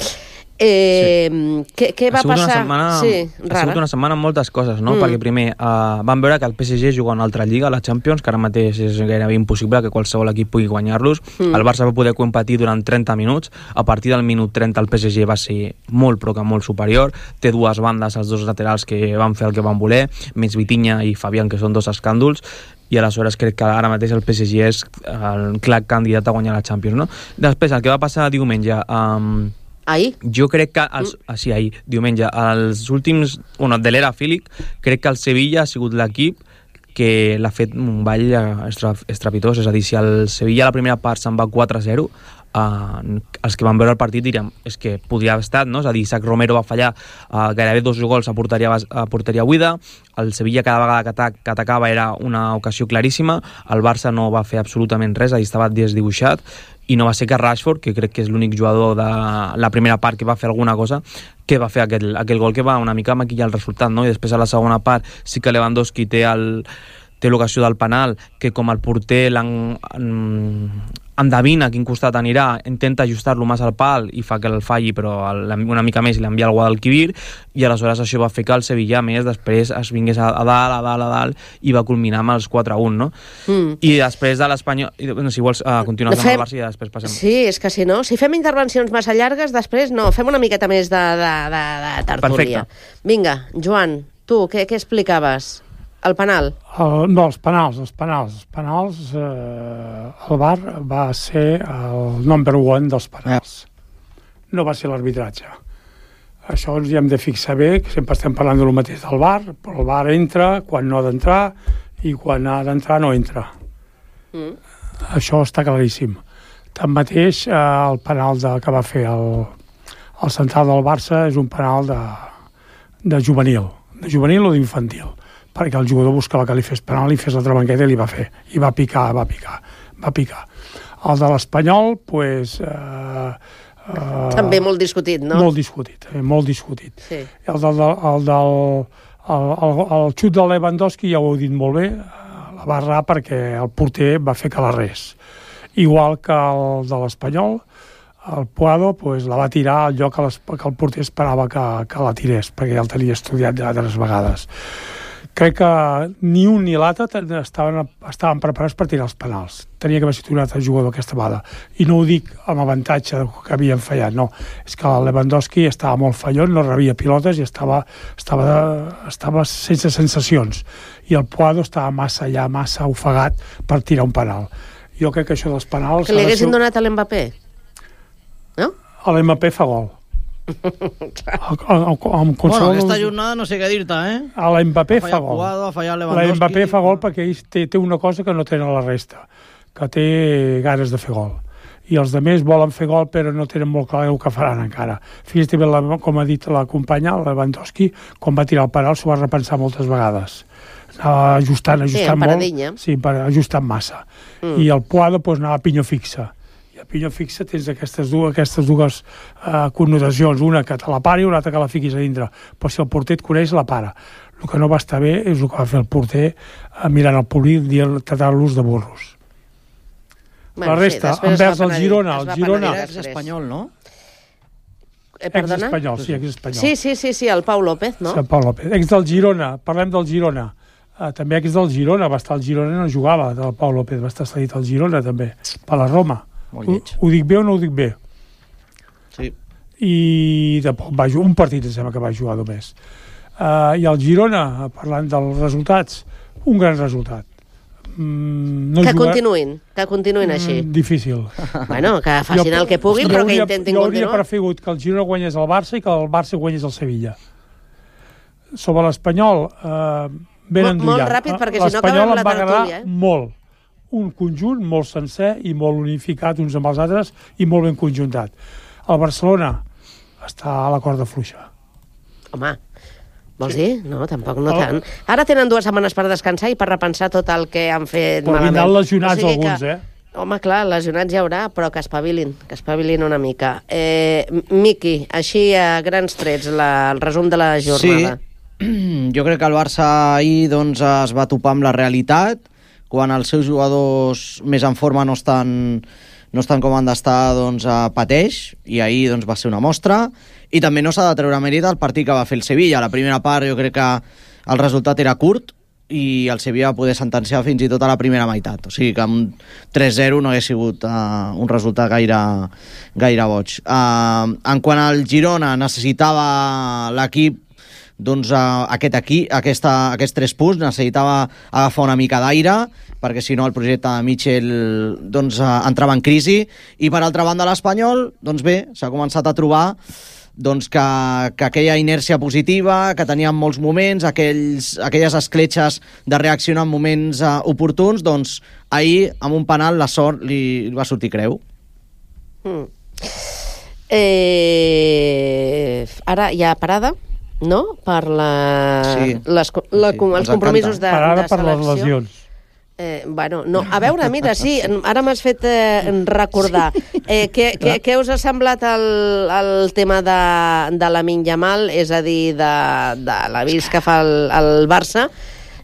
Què va passar? Ha sigut una setmana amb moltes coses, no? Perquè primer vam veure que el PSG juga una altra lliga, la Champions, que ara mateix és gairebé impossible que qualsevol equip pugui guanyar-los. El Barça va poder competir durant 30 minuts. A partir del minut 30 el PSG va ser molt, però que molt superior. Té dues bandes, els dos laterals, que van fer el que van voler, més Vitinha i Fabián, que són dos escàndols, i aleshores crec que ara mateix el PSG és el clar candidat a guanyar la Champions, no? Després, el que va passar diumenge... Ahir? Jo crec que... ahir, diumenge. Els últims... de l'era Fílic, crec que el Sevilla ha sigut l'equip que l'ha fet un ball estrepitós. És a dir, si el Sevilla a la primera part se'n va 4-0, els que van veure el partit direm és que podria haver estat, no? És a dir, Isaac Romero va fallar gairebé 2 gols a porteria buida, el Sevilla cada vegada que atacava era una ocasió claríssima, el Barça no va fer absolutament res, a dir, estava desdibuixat, i no va ser que Rashford, que crec que és l'únic jugador de la primera part que va fer alguna cosa, que va fer aquell gol que va una mica maquillar el resultat, no? I després a la segona part sí que Lewandowski té l'ocasió del penal, que com el porter endevina a quin costat anirà, intenta ajustar-lo massa al pal i fa que el falli, però una mica més i l'envia al Guadalquivir, i aleshores això va fer que el Sevilla més després es vingués a dalt i va culminar amb els 4-1, no? I després de l'Espanyol... Si vols continuar amb el Barça i després passem... Sí, és que si no, si fem intervencions massa llargues, després no, fem una miqueta més de tertúlia. Perfecte. Vinga, Joan, tu, què explicaves? El penal? No, els penals. El VAR va ser el number one dels penals. No va ser l'arbitratge. Això ens hi hem de fixar bé, que sempre estem parlant del mateix del VAR, però el VAR entra quan no ha d'entrar i quan ha d'entrar no entra. Això està claríssim. Tanmateix, el penal que va fer el central del Barça és un penal de juvenil o d'infantil, perquè el jugador buscava que li fes penal, li fes l'altra banqueta i li va fer. I va picar. El de l'Espanyol, doncs... també molt discutit, no? Molt discutit. Sí. El xut de Lewandowski ja ho heu dit molt bé, la va errar perquè el porter va fer que la res. Igual que el de l'Espanyol, el Puado la va tirar al lloc que el porter esperava que la tirés, perquè ja el tenia estudiat altres vegades. Crec que ni un ni l'altre estaven preparats per tirar els penals. Tenia que haver sigut un altre jugador aquesta vegada. I no ho dic amb avantatge que havien fallat, no. És que el Lewandowski estava molt fallon, no rebia pilotes i estava sense sensacions. I el Puado estava massa ofegat per tirar un penal. Jo crec que això dels penals... Que li haguessin donat a l'Mbappé? No? A l'Mbappé fa gol. Aquesta jornada no sé què dir-te, a l'Mbappé fa gol. L'Mbappé fa gol perquè ell té una cosa que no tenen la resta, que té ganes de fer gol. I els altres volen fer gol però no tenen molt clar el que faran encara. Fixa't bé, com ha dit la companya, el Lewandowski, quan va tirar el penal s'ho va repensar moltes vegades. Anava ajustant molt. Sí, ajustant massa. I el Puado anava a pinyo fixa. I a pinyo fixa tens aquestes dues connotacions, una que te la pari i una altra que la fiquis a dintre, però si el porter et coneix la para. El que no va estar bé és el que va fer el porter mirant el públic tratant-los de burros. La resta, envers el Girona... El Girona és espanyol, no? Perdona? Sí, el Pau López, no? Sí, el Pau López. Ex del Girona, parlem del Girona. També ex del Girona, va estar al Girona i no jugava, el Pau López, va estar cedit al Girona també, per la Roma. Ho dic bé o no ho dic bé? Sí. I un partit em sembla que va jugar només. I el Girona, parlant dels resultats, un gran resultat. Que continuïn així. Difícil. Bueno, que facin el que puguin, però que intentin continuar. Jo hauria preferit que el Girona guanyés el Barça i que el Barça guanyés el Sevilla. Sobre l'Espanyol, ben endollat. Molt ràpid, perquè si no acabem la tertúlia. L'Espanyol em va agradar molt. Un conjunt molt sencer i molt unificat uns amb els altres i molt ben conjuntat. El Barcelona està a la corda fluixa. Home, vols dir? No, tampoc no tant. Ara tenen 2 setmanes per descansar i per repensar tot el que han fet malament. Però vindran lesionats alguns, Home, clar, lesionats hi haurà, però que espavilin una mica. Miqui, així a grans trets, el resum de la jornada. Sí, jo crec que el Barça ahir es va topar amb la realitat, quan els seus jugadors més en forma no estan com han d'estar, pateix, i ahir va ser una mostra. I també no s'ha de treure mèrit al partit que va fer el Sevilla. La primera part jo crec que el resultat era curt i el Sevilla va poder sentenciar fins i tot a la primera meitat. O sigui que amb 3-0 no hagués sigut un resultat gaire boig. En quant al Girona, necessitava l'equip aquests 3 punts, necessitava agafar una mica d'aire, perquè si no el projecte de Michel entrava en crisi. I per altra banda l'Espanyol, bé, s'ha començat a trobar que aquella inèrcia positiva, que tenia en molts moments, aquelles escletxes de reaccionar en moments oportuns, ahir amb un penal la sort li va sortir creu. Ara hi ha parada, no? Per els compromisos de parada selecció. Per les lesions. Bueno, no, a veure, mira, sí, ara m'has fet recordar. Què us ha semblat el tema de Lamine Yamal, és a dir, de l'avís que fa el Barça,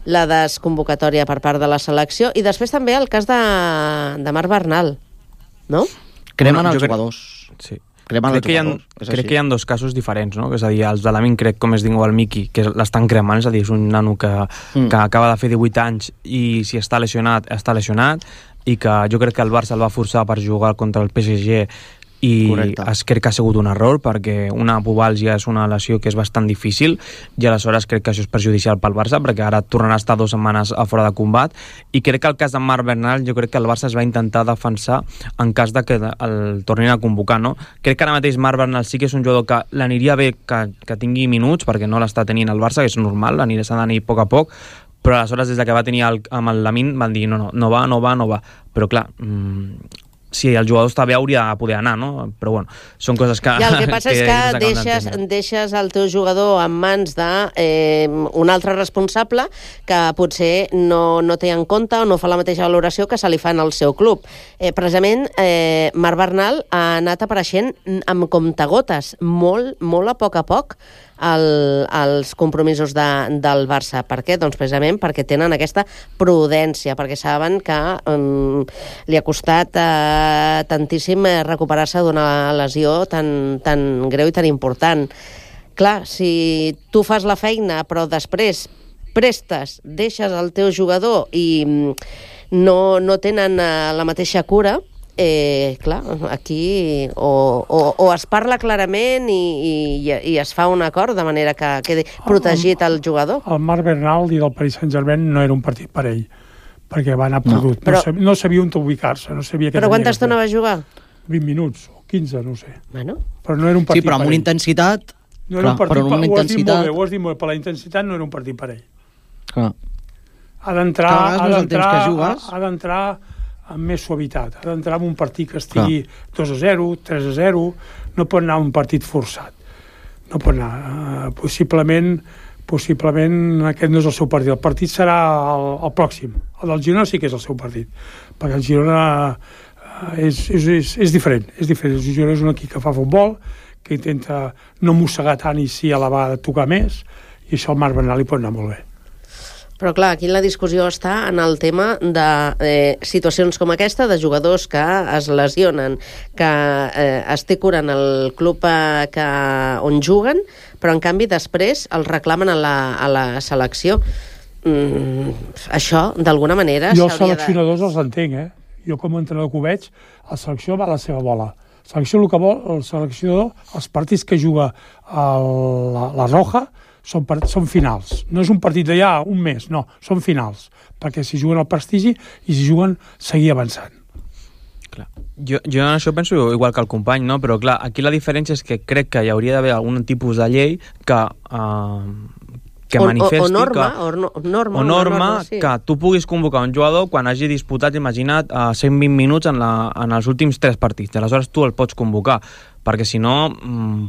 la desconvocatòria per part de la selecció, i després també el cas de Marc Bernal. no? Cremen els jugadors. Sí. Crec que hi ha dos casos diferents, no? És a dir, els de l'Amin, crec, com es diu el Miki, que l'estan cremant, és a dir, és un nano que acaba de fer 18 anys i si està lesionat, i que jo crec que el Barça el va forçar per jugar contra el PSG i crec que ha sigut un error perquè una pubalgia és una lesió que és bastant difícil i aleshores crec que això és perjudicial pel Barça perquè ara tornarà a estar 2 setmanes a fora de combat i crec que el cas de Marc Bernal jo crec que el Barça es va intentar defensar en cas de que el tornin a convocar, no? Crec que ara mateix Marc Bernal sí que és un jugador que l'aniria bé que tingui minuts perquè no l'està tenint el Barça, que és normal, s'ha d'anar a poc a poc, però aleshores des que va tenir amb el Lamine van dir no va, però clar, si el jugador està bé hauria de poder anar, no? Però bueno, són coses que... Ja, el que passa és que deixes el teu jugador en mans d'un altre responsable que potser no té en compte o no fa la mateixa valoració que se li fa en el seu club. Precisament, Marc Bernal ha anat apareixent amb comptagotes, molt a poc, als compromisos del Barça. Per què? Doncs precisament perquè tenen aquesta prudència, perquè saben que li ha costat tantíssim recuperar-se d'una lesió tan greu i tan important. Clar, si tu fas la feina però després prestes, deixes el teu jugador i no tenen la mateixa cura, clar, aquí o es parla clarament i es fa un acord de manera que quedi protegit el jugador. El Marc Bernal i del Paris Saint-Germain no era un partit per ell, perquè va anar perdut. No sabia on ubicar-se, no sabia què tenia. Però quanta estona va jugar? 20 minuts o 15, no sé. Bueno. Però no era un partit per ell. Sí, però amb una intensitat... No era un partit per ell. Ho has dit molt bé, per la intensitat no era un partit per ell. Ha d'entrar amb més suavitat, ha d'entrar en un partit que estigui 2-0, 3-0, no pot anar un partit forçat, no pot anar, possiblement aquest no és el seu partit, el partit serà el pròxim, el del Girona sí que és el seu partit, perquè el Girona és diferent, el Girona és un equip que fa futbol, que intenta no mossegar tant i sí a la vegada tocar més, i això al Marc Bernal li pot anar molt bé. Però clar, aquí la discussió està en el tema de situacions com aquesta, de jugadors que es lesionen, que es té cura en el club on juguen, però en canvi després els reclamen a la selecció. Això, d'alguna manera... Jo els seleccionadors els entenc, Jo com a entrenador que ho veig, la selecció va a la seva bola. La selecció el que vol, el seleccionador, els partits que juga la Roja, són finals. No és un partit d'allà un mes, no, són finals, perquè si juguen al prestigi i si juguen seguir avançant. Clar. Jo en això penso igual que el company, no? Però clar, aquí la diferència és que crec que hi hauria d'haver algun tipus de llei que manifesti o norma sí. Que tu puguis convocar un jugador quan hagi disputat, imagina't, 120 minuts en els últims 3 partits. Aleshores tu el pots convocar, perquè si no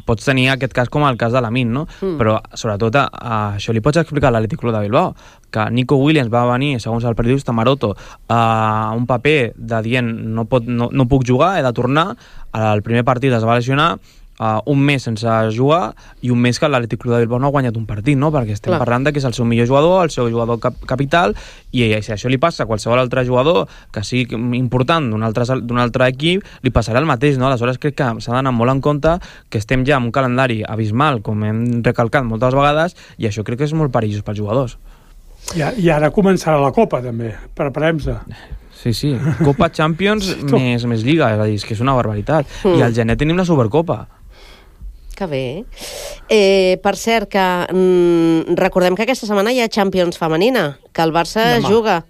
pots tenir aquest cas com el cas de l'Amin, no? Però sobretot això li pots explicar a l'Athletic Club de Bilbao, que Nico Williams va venir, segons el periodista Maroto, a un paper de dient no puc jugar, he de tornar, al primer partit es va lesionar, un mes sense jugar i un mes que l'Athletic Club de Bilbao no ha guanyat un partit, no? Perquè estem parlant de que és el seu millor jugador, el seu jugador capital, i si això li passa a qualsevol altre jugador que sigui important d'un altre equip, li passarà el mateix, no? Aleshores crec que s'ha d'anar molt en compte que estem ja en un calendari abismal, com hem recalcat moltes vegades, i això crec que és molt perillós pels jugadors. I ara començarà la Copa, també. Preparem-se. Sí. Copa Champions més Lliga, és a dir, que és una barbaritat. I al gener tenim la Supercopa. Que bé. Per cert, que recordem que aquesta setmana hi ha Champions femenina, que el Barça juga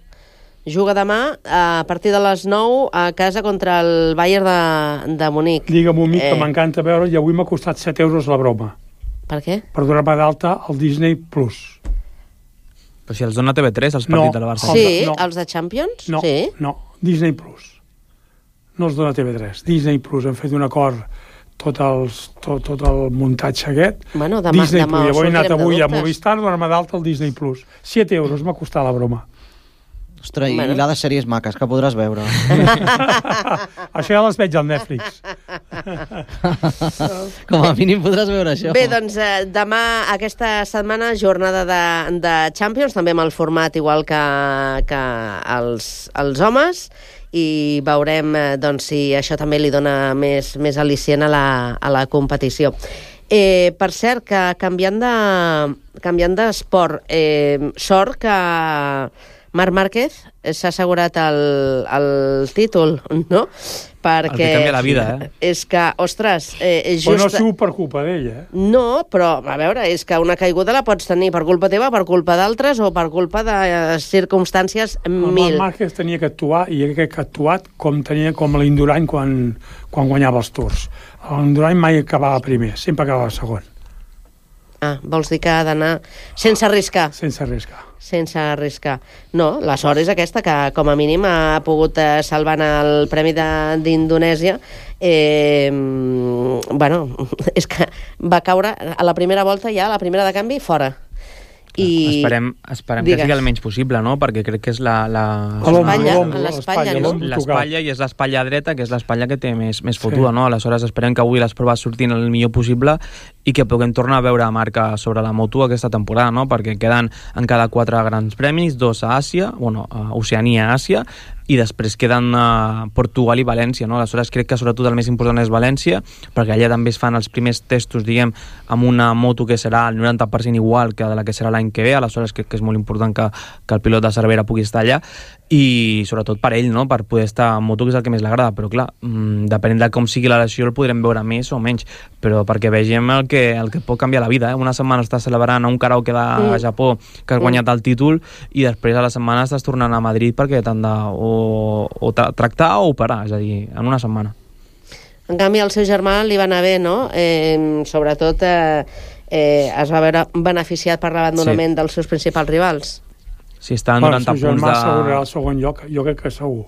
demà a partir de les 9 a casa contra el Bayern de Munic. Digue'm un mic que m'encanta veure, i avui m'ha costat 7 euros la broma. Per què? Per donar-me d'alta al Disney Plus. Però si els dona TV3, els partits del Barça. Sí, els de Champions? No, Disney Plus. No els dona TV3. Disney Plus, hem fet un acord tot el muntatge aquest. Bueno, demà Disney Plus. Jo he anat avui a Movistar, donar-me d'alta el Disney Plus. 7 euros m'ha costat la broma. Ostres, i l'ha de sèries maques que podràs veure. Això ja les veig al Netflix. Com a mínim podràs veure això. Bé, doncs demà, aquesta setmana, jornada de Champions, també amb el format igual que els homes, i veurem doncs, si això també li dona més al·licient a la competició. Per cert, que canviant d'esport, sort que Marc Márquez s'ha assegurat el títol, no? Perquè el que canvia la vida, és que, ostres... Però no ha sigut per culpa d'ella. No, però, a veure, és que una caiguda la pots tenir per culpa teva, per culpa d'altres o per culpa de circumstàncies mil. El Márquez tenia que actuar, i crec que ha actuat com l'Indurain quan guanyava els Tours. L'Indurain mai acabava primer, sempre acabava segon. Ah, vols dir que ha d'anar sense arriscar? Sense arriscar. Sense arriscar. No, la sort és aquesta, que com a mínim ha pogut salvar el Premi d'Indonèsia. Bueno, és que va caure a la primera volta ja, a la primera de canvi, fora. I esperem que sigui el menys possible, no? Perquè crec que és l'espatlla i és l'espatlla dreta, que és l'espatlla que té més fotuda, no? Aleshores esperem que avui les proves surtin el millor possible i que puguem tornar a veure marca sobre la moto aquesta temporada, no? Perquè queden en cada 4 grans premis, 2 a Àsia, a Oceania, Àsia, i després queden Portugal i València, no? Aleshores crec que sobretot el més important és València, perquè allà també es fan els primers testos, diguem, amb una moto que serà el 90% igual que de la que serà l'any que ve, aleshores crec que és molt important que el pilot de Cervera pugui estar allà, i sobretot per ell, no? Per poder estar en moto, que és el que més l'agrada, però clar, depenent de com sigui la lesió el podrem veure més o menys, però perquè vegem el que pot canviar la vida, Una setmana estàs celebrant a un karaoke de Japó que has guanyat el títol i després a la setmana estàs tornant a Madrid perquè t'han de o tractar o operar, és a dir, en una setmana. En canvi, al seu germà li va anar bé, no? Sobretot es va veure beneficiat per l'abandonament dels seus principals rivals. Sí, està en 90 punts de... El seu germà assegurarà el segon lloc, jo crec que segur.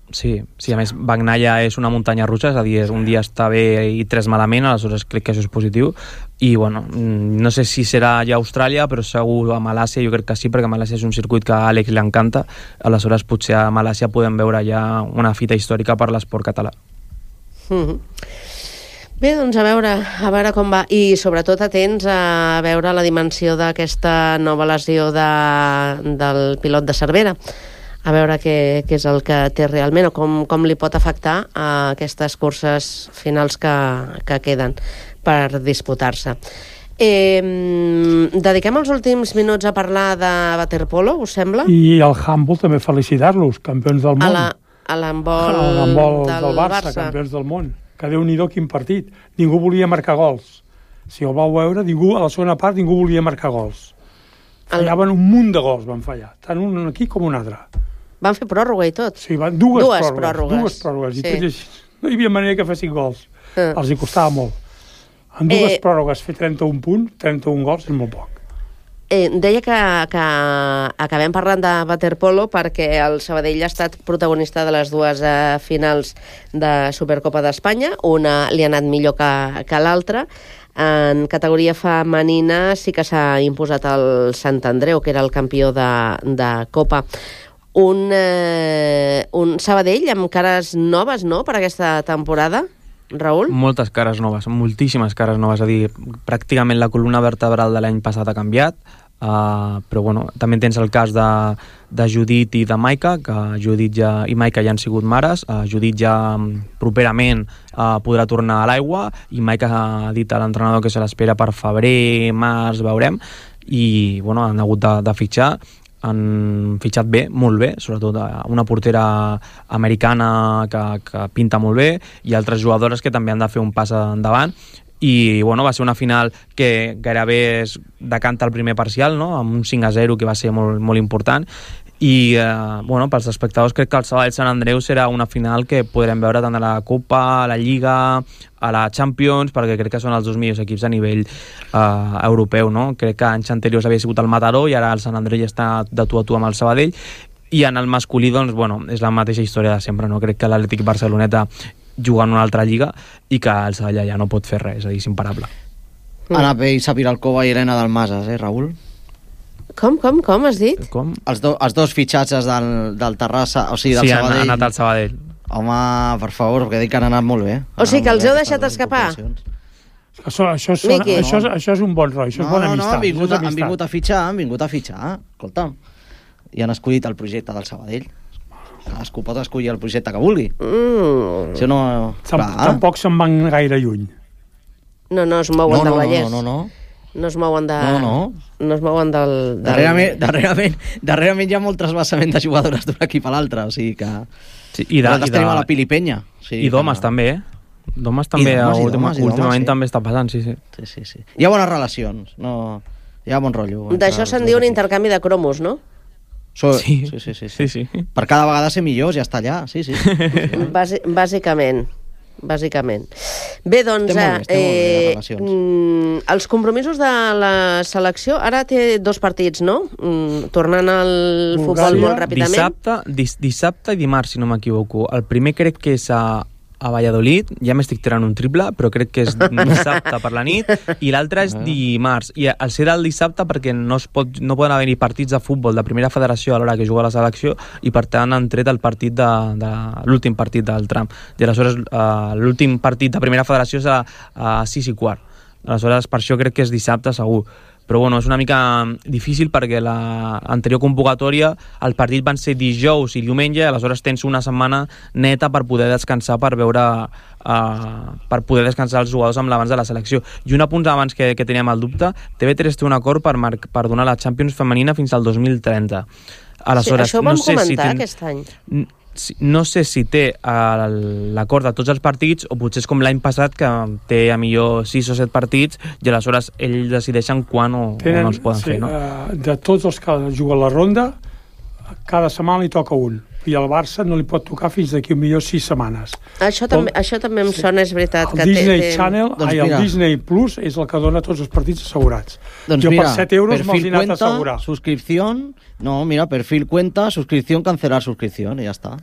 Sí, a més, Bagnaia és una muntanya russa, és a dir, un dia està bé i 3 malament, aleshores crec que això és positiu, i bueno, no sé si serà ja a Austràlia, però segur a Malàcia jo crec que sí, perquè Malàcia és un circuit que a Àlex li encanta, aleshores potser a Malàcia podem veure ja una fita històrica per l'esport català. Bé, doncs a veure com va, i sobretot atents a veure la dimensió d'aquesta nova lesió del pilot de Cervera, a veure què és el que té realment o com li pot afectar a aquestes curses finals que queden per disputar-se. Dediquem els últims minuts a parlar de waterpolo, us sembla? I el handball també felicitar-los, campions del món. A l'handball del Barça, campions del món. Que Déu-n'hi-do quin partit. Ningú volia marcar gols. Si el vau veure, a la segona part ningú volia marcar gols. Fallaven un munt de gols, van fallar. Tant un aquí com un altre. Van fer pròrroga i tot? Sí, dues pròrrogues. I tot així. No hi havia manera que fessin gols. Els hi costava molt. En dues pròrrogues fer 31 punts, 31 gols és molt poc. Deia que acabem parlant de waterpolo perquè el Sabadell ha estat protagonista de les dues finals de Supercopa d'Espanya. Una li ha anat millor que l'altra. En categoria femenina sí que s'ha imposat el Sant Andreu, que era el campió de Copa. Un Sabadell amb cares noves, no?, per aquesta temporada, Raül? Moltes cares noves, moltíssimes cares noves. És a dir, pràcticament la columna vertebral de l'any passat ha canviat, però bueno, també tens el cas de Judit i de Maika, que Judit i Maika ja han sigut mares. Judit ja properament podrà tornar a l'aigua i Maika ha dit a l'entrenador que se l'espera per febrer, març, veurem, i bueno, han hagut de fitxar. Han fitxat bé, molt bé, sobretot una portera americana que pinta molt bé i altres jugadores que també han de fer un pas endavant. I bueno, va ser una final que gairebé es decanta el primer parcial, no?, amb un 5-0 que va ser molt, molt important. I bueno, pels espectadors crec que el Sabadell Sant Andreu serà una final que podrem veure tant a la Copa, a la Lliga, a la Champions, perquè crec que són els dos millors equips a nivell europeu, no? Crec que anys anteriors havia sigut el Mataró i ara el Sant Andreu ja està de tu a tu amb el Sabadell. I en el masculí, doncs, bueno, és la mateixa història de sempre, no? Crec que l'Atlètic Barceloneta juga en una altra lliga i que el Sabadell ja no pot fer res, és a dir, és imparable. Anna Peisa, Viralcova i Helena Dalmases, Raül? Com has dit? Com? Els dos fitxatges del Terrassa, o sigui, del Sabadell. Sabadell. Sí, han anat al Sabadell. Home, per favor, perquè dic que han anat molt bé. O sigui que els heu deixat escapar? Això és un bon roi, això és bona amistat. Han vingut a fitxar, escolta. I han escollit el projecte del Sabadell. Cadascú pot escollir el projecte que vulgui. Tampoc se'n van gaire lluny. No es mouen del Vallès. No es mouen del... Darrerament hi ha molt trasbassament de jugadores d'un equip a l'altre, o sigui que... Nosaltres tenim a la Pili Penya. I d'homes també, D'homes també, últimament també està passant, sí. Hi ha bones relacions, hi ha bon rotllo. D'això se'n diu un intercanvi de cromos, no? Sí. Per cada vegada ser millors, ja està allà, sí. Bàsicament. Bé, doncs, els compromisos de la selecció, ara té 2 partits, no? Tornant al futbol molt ràpidament. Dissabte i dimarts, si no m'equivoco. El primer crec que és a Valladolid, ja m'estic tirant un triple, però crec que és dissabte per la nit, i l'altre és dimarts. I el serà el dissabte perquè no poden haver-hi partits de futbol de primera federació a l'hora que juga la selecció, i per tant han tret el partit de l'últim partit del tram. I aleshores l'últim partit de primera federació serà a 6:15. Aleshores per això crec que és dissabte segur. Però bueno, és una mica difícil perquè l'anterior convocatòria el partit van ser dijous i diumenge, aleshores tens una setmana neta per poder descansar, per poder descansar els jugadors amb l'abans de la selecció. I un apunt abans que teníem el dubte, TV3 té un acord per donar la Champions femenina fins al 2030. Aleshores, això ho vam comentar aquest any. No sé si té l'acord de tots els partits o potser és com l'any passat que té a millor 6 o 7 partits i aleshores ells decideixen quan o no els poden fer, no? De tots els que juguen la ronda, cada setmana li toca un. I al Barça no li pot tocar fins d'aquí millor 6 setmanes. Això també em sona, és veritat. El Disney Channel, el Disney Plus és el que dona tots els partits assegurats. Jo per 7 euros me'ls he anat a assegurar. Suscripción, perfil cuenta, suscripción, cancelar suscripción, i ja està.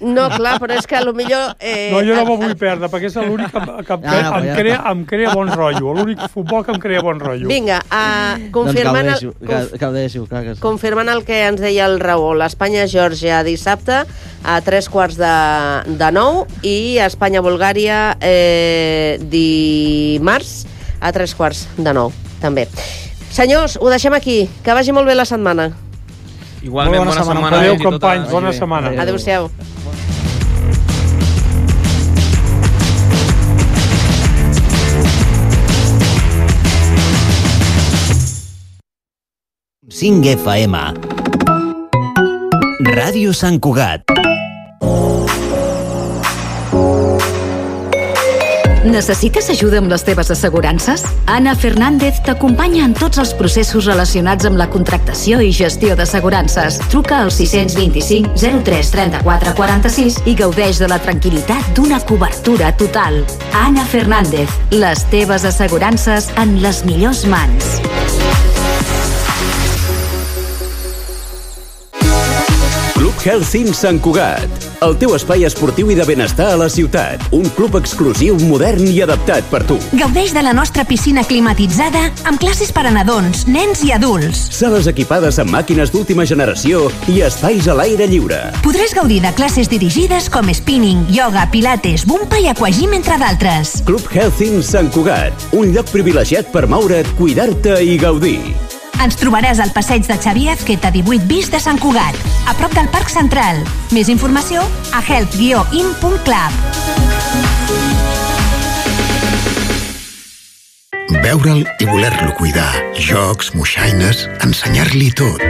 No, clar, però és que potser... No, jo no m'ho vull perdre, perquè és l'únic que em crea bon rotllo. L'únic futbol que em crea bon rotllo. Vinga, confirmant el que ens deia el Raül, Espanya-Geòrgia dissabte a 8:45 i Espanya-Bulgària dimarts a 8:45 també. Senyors, ho deixem aquí. Que vagi molt bé la setmana. Igualment, bona setmana. Adéu, companys, bona setmana. Adéu-siau. FM. Ràdio Sant Cugat. Necessites ajuda amb les teves assegurances? Anna Fernández t'acompanya en tots els processos relacionats amb la contractació i gestió d'assegurances. Truca al 625 03 34 46 i gaudeix de la tranquil·litat d'una cobertura total. Anna Fernández, les teves assegurances en les millors mans. Club Health Inn Sant Cugat, el teu espai esportiu i de benestar a la ciutat. Un club exclusiu, modern i adaptat per tu. Gaudeix de la nostra piscina climatitzada amb classes per a nadons, nens i adults. Sales equipades amb màquines d'última generació i espais a l'aire lliure. Podràs gaudir de classes dirigides com spinning, yoga, pilates, bumpa i aquagym, entre d'altres. Club Health Inn Sant Cugat, un lloc privilegiat per moure't, cuidar-te i gaudir. Ens trobaràs al passeig de Xavier Azqueta 18 bis de Sant Cugat, a prop del Parc Central. Més informació a health-in.club. Veure'l i voler-lo cuidar. Jocs, moixaines, ensenyar-li tot.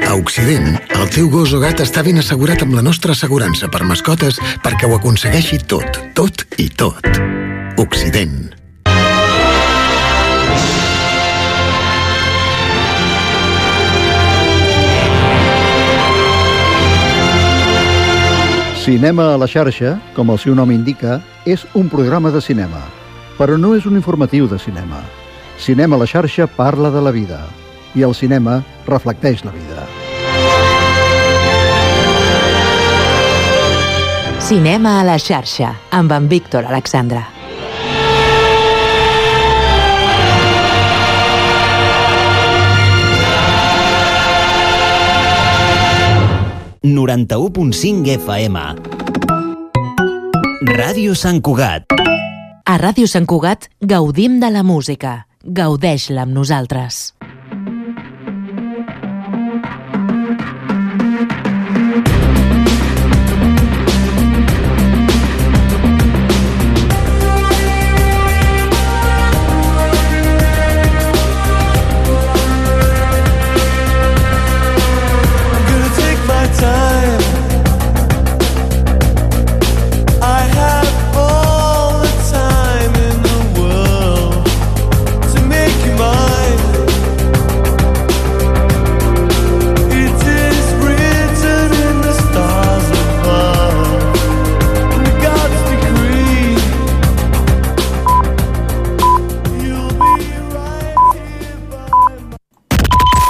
A Occident, el teu gos o gat està ben assegurat amb la nostra assegurança per mascotes perquè ho aconsegueixi tot, tot i tot. Occident. Cinema a la xarxa, com el seu nom indica, és un programa de cinema, però no és un informatiu de cinema. Cinema a la xarxa parla de la vida, i el cinema reflecteix la vida. Cinema a la xarxa, amb en Víctor Alexandra. 91.5 FM. Ràdio Sant Cugat. A Ràdio Sant Cugat gaudim de la música. Gaudeix-la amb nosaltres.